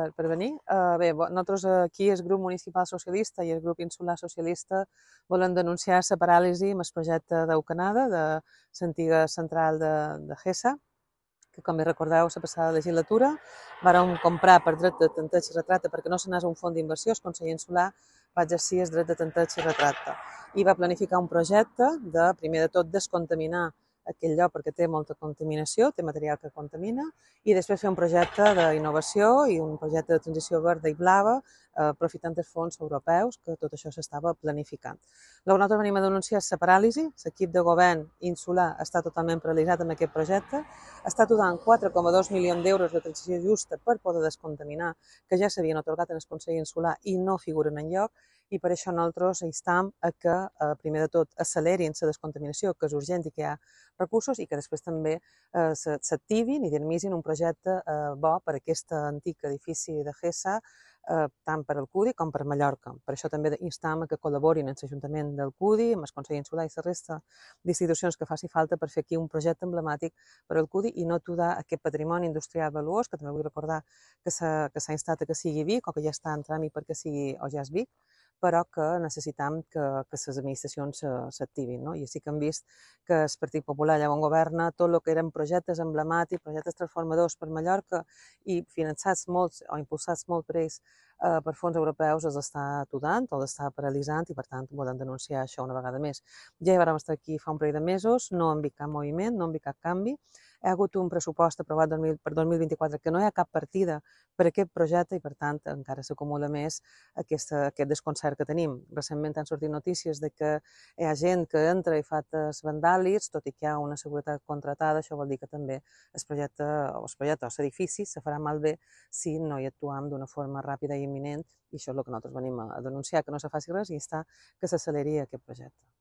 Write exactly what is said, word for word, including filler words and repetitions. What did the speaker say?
per, per venir. Uh, bé, nosaltres aquí, el grup municipal socialista i el grup insular socialista, volem denunciar la paràlisi amb el projecte d'Eucanada, de l'antiga central de, de Gesa, que, com bé recordeu, la passada legislatura vàrem comprar per dret de tanteig i retracte perquè no s'anés a un fons d'inversió. El conseller insular va exercir el dret de tanteig i retracte i va planificar un projecte de, primer de tot, descontaminar aquell lloc perquè té molta contaminació, té material que contamina, i després fer un projecte d'innovació i un projecte de transició verda i blava, eh, aprofitant els fons europeus, que tot això s'estava planificant. Llavors nosaltres venim a denunciar la paràlisi. L'equip de govern insular està totalment paralitzat amb aquest projecte, està donant quatre coma dos milions d'euros de transició justa per poder descontaminar, que ja s'havien atorgat en el Consell Insular i no figuren enlloc, i per això nosaltres instam a que, eh, primer de tot, accelerin la descontaminació, que és urgent i que hi ha recursos, i que després també eh, s'activin i dinamitzin un projecte eh, bo per aquest antic edifici de Gesa, eh, tant per al CUDI com per Mallorca. Per això també instam a que col·laborin amb l'Ajuntament del CUDI, amb el Consell Insular i la resta d'institucions que faci falta per fer aquí un projecte emblemàtic per al CUDI i no aturar aquest patrimoni industrial valuós, que també vull recordar que s'ha instat a que sigui Vic, o que ja està en tràmit perquè sigui o ja és Vic, però que necessitam que, que les administracions s'activin, no? I sí que hem vist que el Partit Popular, allà on governa, tot el que eren projectes emblemàtics, projectes transformadors per Mallorca i finançats molts o impulsats molt per ells eh, per fons europeus, els està aturant o els està paralitzant, i per tant volem denunciar això una vegada més. Ja hi vam estar aquí fa un parell de mesos, no hem vist cap moviment, no hem vist cap canvi. Hi ha hagut un pressupost aprovat per dos mil vint-i-quatre que no hi ha cap partida per aquest projecte i, per tant, encara s'acumula més aquesta, aquest desconcert que tenim. Recentment han sortit notícies de que hi ha gent que entra i fa actes vandàlics, tot i que hi ha una seguretat contratada. Això vol dir que també el projecte o el projecte o l'edifici se farà malbé si no hi actuem d'una forma ràpida i imminent, i això és el que nosaltres venim a denunciar, que no se faci res i instar que s'acceleri aquest projecte.